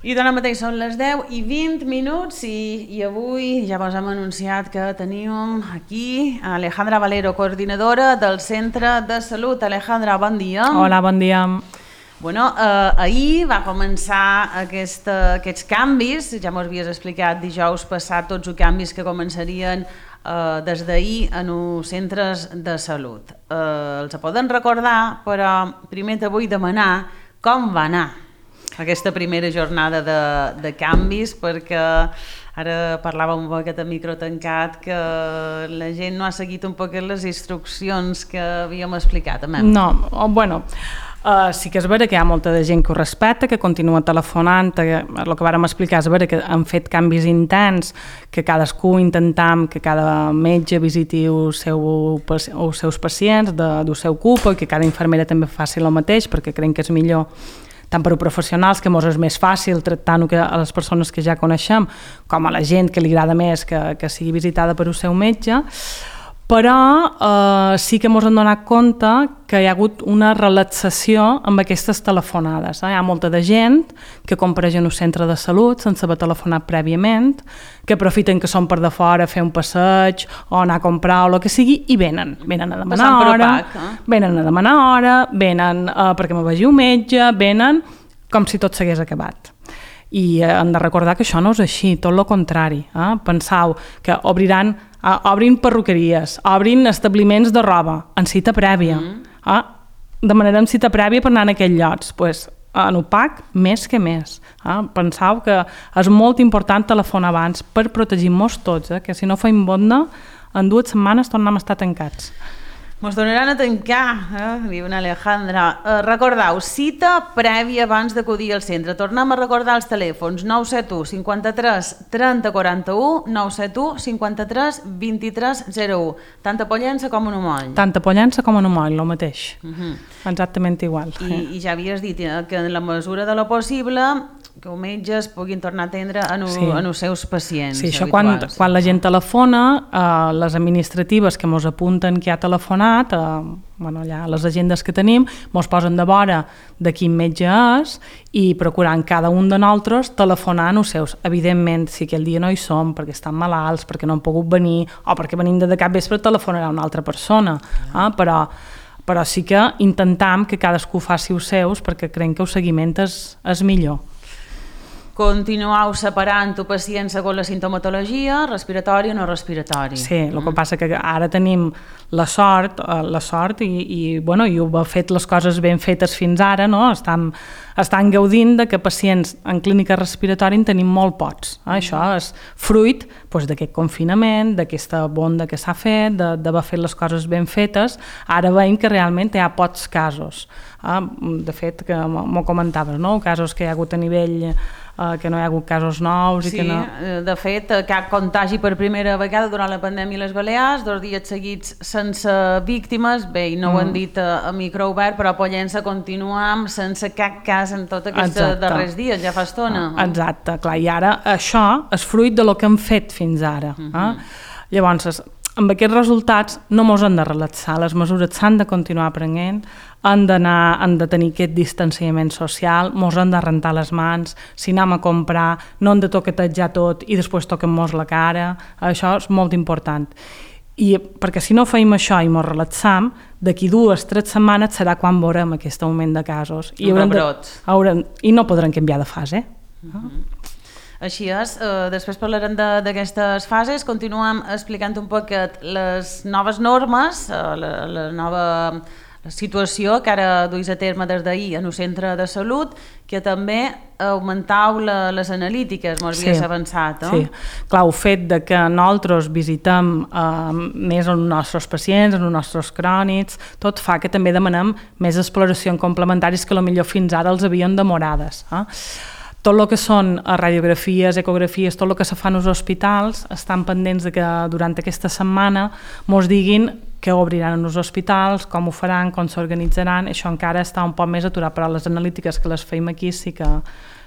I ara mateix són les 10:20 i avui ja vos hem anunciat que tenim aquí Alejandra Valero, coordinadora del Centre de Salut. Alejandra, bon dia. Hola, bon dia. Bueno, ahir va començar aquests canvis, ja m'ho havies explicat dijous passat, tots els canvis que començarien des d'ahir en els centres de salut. Els poden recordar, però primer te vull demanar com va anar aquesta primera jornada de canvis, perquè ara parlàvem un poquet a micro tancat que la gent no ha seguit un poquet les instruccions que havíem explicat. No, bueno, sí que és vera que hi ha molta de gent que ho respecta, que continua telefonant, el que vàrem explicar és vera que han fet canvis intents, que cadascú intentam que cada metge visiti els seus pacients del seu CUP i que cada infermera també faci el mateix, perquè creiem que és millor tant per a professionals, que mos és més fàcil tractar-ho a les persones que ja coneixem, com a la gent que li agrada més que sigui visitada per el seu metge, però sí que mos hem donat compte que hi ha hagut una relaxació amb aquestes telefonades. Hi ha molta de gent que compareix en un centre de salut sense haver telefonat prèviament, que aprofiten que són per de fora a fer un passeig o anar a comprar o el que sigui i venen a demanar hora, venen perquè me vegi un metge, venen com si tot s'hagués acabat. I hem de recordar que això no és així, tot el contrari. Penseu que obrin perruqueries, obrin establiments de roba, en cita prèvia. Demanarem cita prèvia per anar en aquells llocs. Pues, en UPAC, més que més. Penseu que és molt important telefonar abans per protegir-nos tots, que si no feim bonda, en 2 setmanes tornem a estar tancats. Mos donaran a tancar, diu una Alejandra. Recordeu, cita prèvia abans d'acudir al centre. Tornem a recordar els telèfons: 971 53 30 41, 971 53 23 01. Tant a Pollença com a Numoll. Tant a Pollença com a Numoll, el mateix. Exactament igual. I ja havies dit que en la mesura de lo possible que els metges puguin tornar a atendre en els seus pacients. Sí, això quan la gent telefona, les administratives que mos apunten que ha telefonat, allà les agendes que tenim, mos posen de vora de quin metge és i procurant cada un de nosaltres telefonar en els seus. Evidentment, si aquell dia no hi som perquè estan malalts, perquè no han pogut venir o perquè venim de cap vespre, telefonarà una altra persona. Però sí que intentam que cadascú faci els seus perquè creiem que el seguiment és millor. Continueu separant el pacient segons la sintomatologia, respiratori o no respiratori. Sí, el que passa que ara tenim la sort i ho ha fet les coses ben fetes fins ara, no? Estan gaudint de que pacients en clínica respiratori en tenim molt pocs. Això és fruit d'aquest confinament, d'aquesta bonda que s'ha fet, d'haver fet les coses ben fetes. Ara veiem que realment hi ha pocs casos. De fet, que m'ho comentaves, no? Casos que hi ha hagut a nivell que no hi ha hagut casos nous. Sí, de fet, cap contagi per primera vegada durant la pandèmia a les Balears, 2 dies seguits sense víctimes, bé, i no ho han dit a micro obert, però a Pollença continuam sense cap cas en tots aquests darrers dies, ja fa estona. Exacte, clar, i ara això és fruit de lo que hem fet fins ara. Llavors, amb aquests resultats no mos hem de relaxar, les mesures s'han de continuar prenent, han de tenir aquest distanciament social, mos hem de rentar les mans, si anem a comprar no hem de toquetejar tot i després toquem-nos la cara, això és molt important. I perquè si no feim això i mos relaxam, d'aquí 2-3 setmanes serà quan veurem aquest augment de casos. I no podrem canviar de fase. Així és, després parlarem d'aquestes fases, continuem explicant un poquet les noves normes, la nova situació que ara duis a terme des d'ahir en el centre de salut, que també augmentau les analítiques, m'ho havies avançat. Sí, clar, el fet que nosaltres visitem més els nostres pacients, els nostres crònics, tot fa que també demanem més exploracions complementaris que potser fins ara els havien demorades. Tot el que són radiografies, ecografies, tot el que se fa als hospitals, estan pendents de que durant aquesta setmana mos diguin que obriran els hospitals, com ho faran, com s'organitzaran. Això encara està un poc més aturat, però les analítiques que les feim aquí sí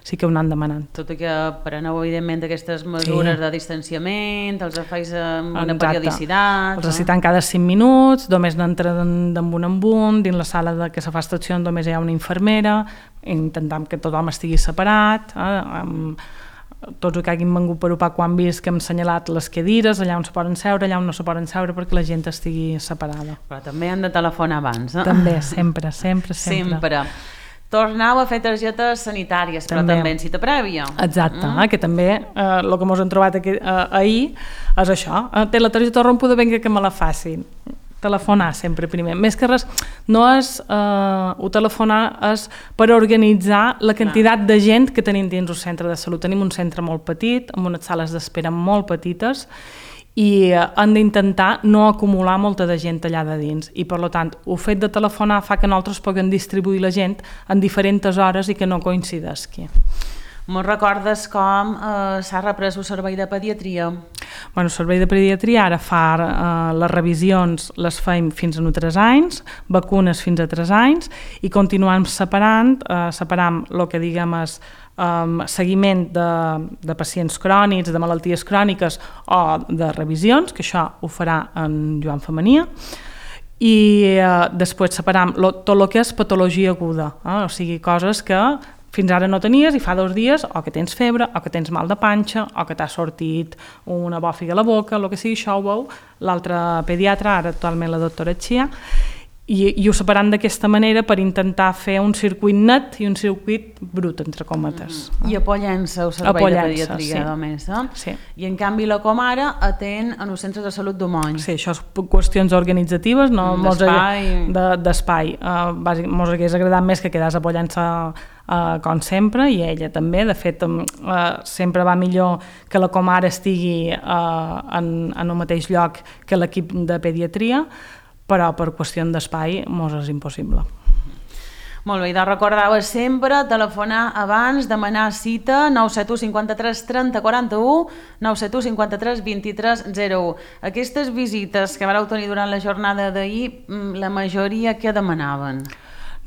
sí que ho anan demanant. Tot i que preneu, evidentment, aquestes mesures de distanciament, els feis amb una periodicitat... Els recitant cada 5 minuts, només n'entren d'un en un, dins la sala que se fa estació només hi ha una infermera, intentant que tothom estigui separat, tots els que hagin vengut per UPA quan han vist que hem assenyalat les cadires, allà on se poden seure, allà on no se poden seure, perquè la gent estigui separada. Però també han de telefonar abans, no? També, sempre. Tornau a fer targetes sanitàries, però també en cita prèvia. Exacte, que també el que ens hem trobat ahir és això. Té la targeta rompuda, vinga que me la facin. Telefonar sempre primer. Més que res, no és telefonar, és per organitzar la quantitat de gent que tenim dins el centre de salut. Tenim un centre molt petit, amb unes sales d'espera molt petites, i han d'intentar no acumular molta de gent allà de dins. I, per tant, el fet de telefonar fa que nosaltres puguem distribuir la gent en diferents hores i que no coincideixi. Me'n recordes com s'ha reprès el servei de pediatria? El servei de pediatria ara fa les revisions, les fem fins a 3 anys, vacunes fins a 3 anys, i continuem separant el que diguem és seguiment de pacients crònics, de malalties cròniques o de revisions, que això ho farà en Joan Femenia, i després separam tot el que és patologia aguda, o sigui, coses que fins ara no tenies i fa 2 dies o que tens febre, o que tens mal de panxa, o que t'ha sortit una bòfiga a la boca, el que sigui, això ho veu l'altre pediatra, ara actualment la doctora Xia, i ho separan d'aquesta manera per intentar fer un circuit net i un circuit brut, entre cometes. I apollant-se al servei de pediatria, només, sí. I en canvi la Comara atén en els centres de salut d'Homony. Sí, això és qüestions organitzatives, no d'espai. Mos hagués agradat més que quedés apollant-se com sempre, i ella també, de fet, sempre va millor que la Comara estigui en el mateix lloc que l'equip de pediatria, però per qüestió d'espai mos és impossible. Molt bé, i de recordar sempre telefonar abans, demanar cita 971 53 30 41, 971 53 23 01. Aquestes visites que vareu tenir durant la jornada d'ahir, la majoria què demanaven?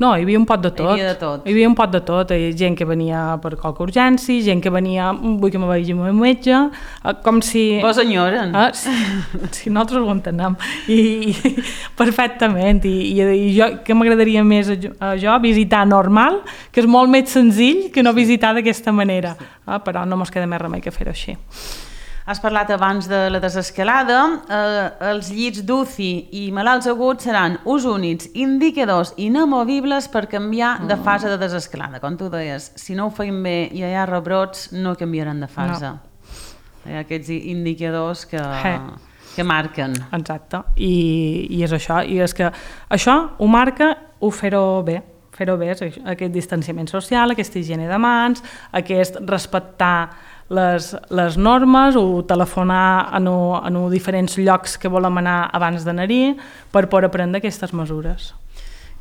No, hi havia un pot de tot. Hi havia un pot de tot. Hi havia gent que venia per qualque urgència, gent que venia, vull que me vegi el meu metge, com si... Vos enyoren. Si nosaltres ho entenem. I perfectament. I jo, que m'agradaria més jo, visitar normal, que és molt més senzill que no visitar d'aquesta manera. Però no mos queda més remei que fer-ho així. Has parlat abans de la desescalada. Els llits d'UCI i malalts aguts seran ús únics, indicadors inamovibles per canviar de fase de desescalada. Com tu deies, si no ho feim bé i hi ha rebrots, no canviaran de fase. No. Hi ha aquests indicadors que marquen. Exacte, i és això. I és que això ho marca fer-ho bé. Fer-ho bé, aquest distanciament social, aquesta higiene de mans, aquest respectar les normes, o telefonar a diferents llocs que volem anar abans d'anar-hi per poder prendre aquestes mesures.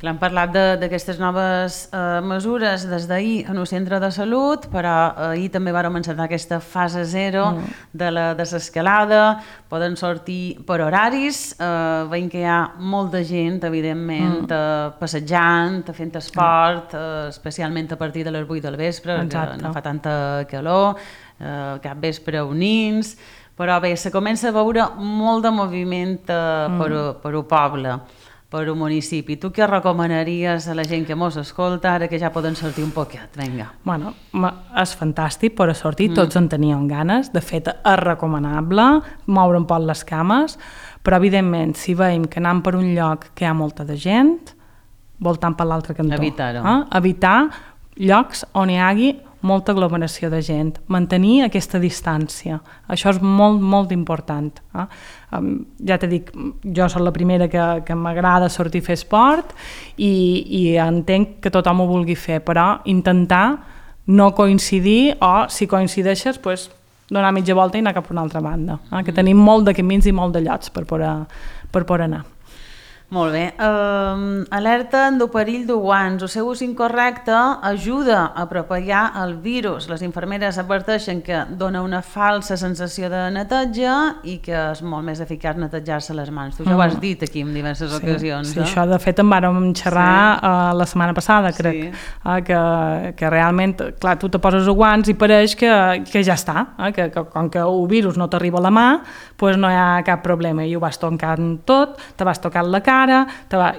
Hem parlat d'aquestes noves mesures des d'ahir en el centre de salut, però ahir també vàrem encetar aquesta fase 0 de la desescalada. Poden sortir per horaris, veiem que hi ha molta gent, evidentment, passejant, fent esport, especialment a partir de les 8 del vespre, que no fa tanta calor, cap vespre unins, però bé, se comença a veure molt de moviment per un poble, per un municipi. Tu què recomanaries a la gent que mos escolta ara que ja poden sortir un poquet? Vinga. Bueno, és fantàstic poder sortir, tots en teníem ganes, de fet és recomanable moure un poc les cames, però evidentment si veiem que anem per un lloc que hi ha molta de gent, voltant per l'altre cantó. Evitar-ho. Evitar llocs on hi hagi molta aglomeració de gent, mantenir aquesta distància. Això és molt, molt important. Ja t'he dit, jo soc la primera que m'agrada sortir a fer esport i entenc que tothom ho vulgui fer, però intentar no coincidir o, si coincideixes, donar mitja volta i anar cap a una altra banda. Que tenim molt de camins i molt de llocs per poder anar. Molt bé. Alerten del perill de guants. El seu ús incorrecte ajuda a propagar el virus. Les infermeres adverteixen que dona una falsa sensació de neteja i que és molt més eficaç netejar-se les mans. Tu ja ho has dit aquí en diverses ocasions. Sí, això de fet en vàrem xerrar la setmana passada, crec, que realment, clar, tu te poses els guants i pareix que ja està, que com que el virus no t'arriba a la mà, doncs no hi ha cap problema, i ho vas tocant tot, te vas tocant la cara,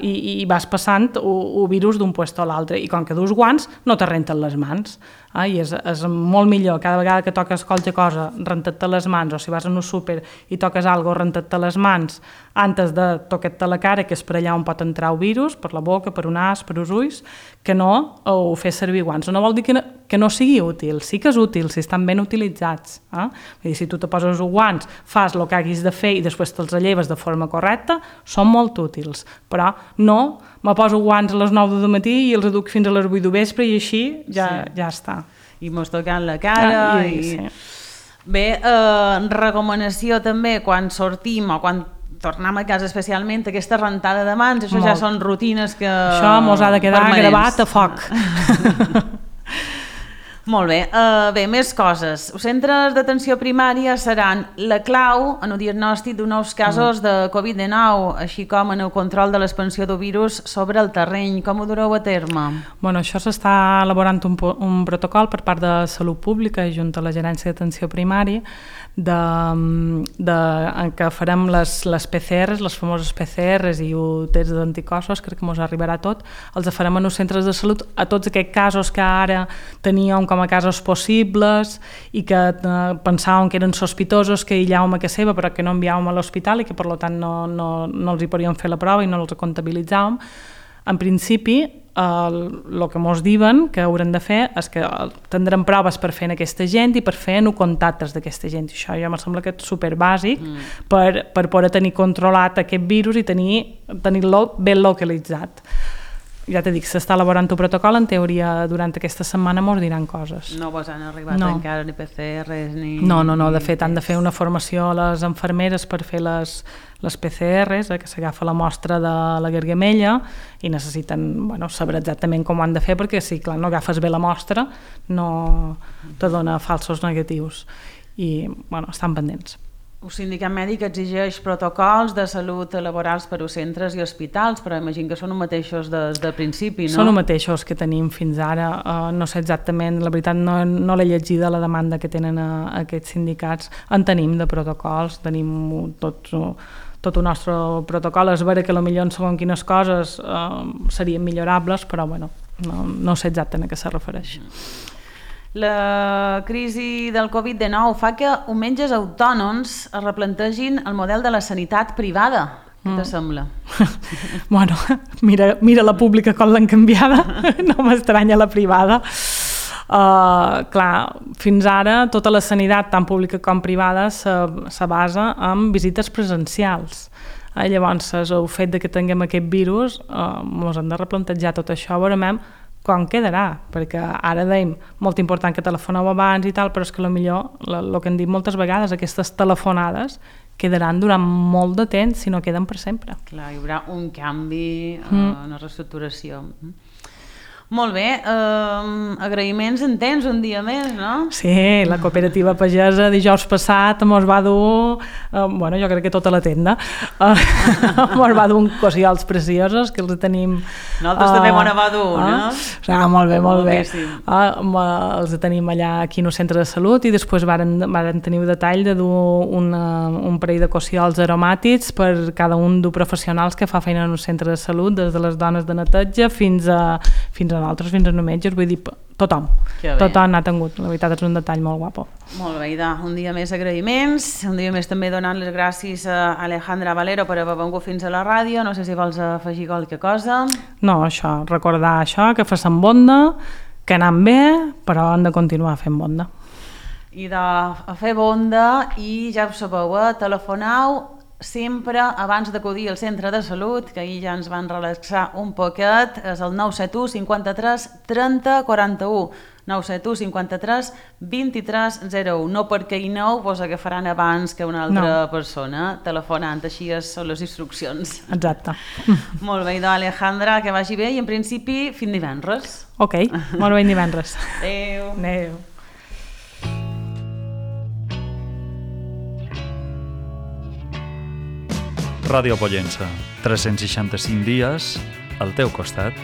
i vas passant el virus d'un puesto a l'altre, i com que dus guants no te renten les mans, i és molt millor cada vegada que toques qualsevol cosa rentar-te les mans, o si vas a un súper i toques alguna cosa rentar-te les mans antes de tocar-te la cara, que és per allà on pot entrar el virus, per la boca, per un nas, per els ulls, que no ho fes servir guants. No vol dir que no sigui útil, sí que és útil si estan ben utilitzats. Vull dir, si tu te poses els guants, fas el que haguis de fer i després te'ls lleves de forma correcta, són molt útils, però no me poso guants a les 9 del matí i els duc fins a les 8 de vespre i així ja està. I mos tocant la cara. Bé, recomanació també quan sortim o quan tornem a casa, especialment aquesta rentada de mans, això ja són rutines que... Això mos ha de quedar gravat a foc. Molt bé. Bé, més coses. Els centres d'atenció primària seran la clau en el diagnòstic de nous casos de Covid-19, així com en el control de l'expansió del virus sobre el terreny. Com ho dureu a terme? Bueno, això s'està elaborant un protocol per part de Salut Pública junt a la Gerència d'Atenció Primària en què farem les PCRs, les famoses PCRs i el test d'anticossos, crec que ens arribarà tot, els farem en els centres de salut a tots aquests casos que ara teníem com a casos possibles i que pensàvem que eren sospitosos, que aïllàvem a casa seva però que no enviàvem a l'hospital i que per tant no els hi podíem fer la prova i no els comptabilitzàvem. En principi, el que ens diuen que haurem de fer és que tindrem proves per fer en aquesta gent i per fer en contactes d'aquesta gent. I això ja em sembla que és superbàsic per poder tenir controlat aquest virus i tenir-lo ben localitzat. Ja t'he dit, s'està elaborant un protocol, en teoria durant aquesta setmana ens diran coses. No vos han arribat encara ni PCRs ni... No, de fet han de fer una formació a les infermeres per fer les PCRs, que s'agafa la mostra de la gargamella i necessiten saber exactament com ho han de fer, perquè si clar, no agafes bé la mostra no te dona falsos negatius i estan pendents. El sindicat mèdic exigeix protocols de salut laborals per als centres i hospitals, però imagino que són els mateixos des de principi, no? Són els mateixos que tenim fins ara. No sé exactament, la veritat no l'he llegida la demanda que tenen aquests sindicats. En tenim de protocols, tenim tot el nostre protocol. És vera que potser en segons quines coses serien millorables, però no sé exactament a què se refereix. La crisi del Covid-19 fa que els metges autònoms es replantegin el model de la sanitat privada. Què te sembla? Bueno, mira la pública com l'han canviada, no m'estranya la privada. Clar, fins ara tota la sanitat, tant pública com privada, se basa en visites presencials. Llavors, el fet que tinguem aquest virus, ens hem de replantejar tot això, veurem com quedarà, perquè ara dèiem molt important que telefoneu abans i tal, però és que potser el que hem dit moltes vegades, aquestes telefonades quedaran durant molt de temps si no queden per sempre. Clar, hi haurà un canvi, una reestructuració. Molt bé, agraïments en tens un dia més, no? Sí, la cooperativa pagesa dijous passat ens va dur, jo crec que tota la tenda, ens va dur uns cossiols preciosos que els tenim... Nosaltres també m'ho va dur, no? Molt bé. Els tenim allà aquí en el centre de salut i després varen tenir el detall de dur un parell de cossiols aromàtics per cada un dels professionals que fa feina en el centre de salut, des de les dones de neteja fins a nosaltres, fins a no metges, vull dir, tothom n'ha tingut, la veritat és un detall molt guapo. Molt bé, Ida, un dia més agraïments, un dia més també donant les gràcies a Alejandra Valero per haver vengut fins a la ràdio, no sé si vols afegir qualque cosa. No, recordar això, que facin bonda, que anem bé, però hem de continuar fent bonda. I a fer bonda, i ja ho sabeu, telefoneu sempre abans d'acudir al centre de salut, que ahir ja ens van relaxar un poquet, és el 971 53 30 41. 971 53 23 01. No perquè hi aneu vos agafaran abans que una altra persona telefonant, així són les instruccions. Exacte. Molt bé, doncs Alejandra, que vagi bé i en principi fins divendres. Ok, molt bé, divendres. Adéu. Adéu. Ràdio Pollença, 365 dies al teu costat.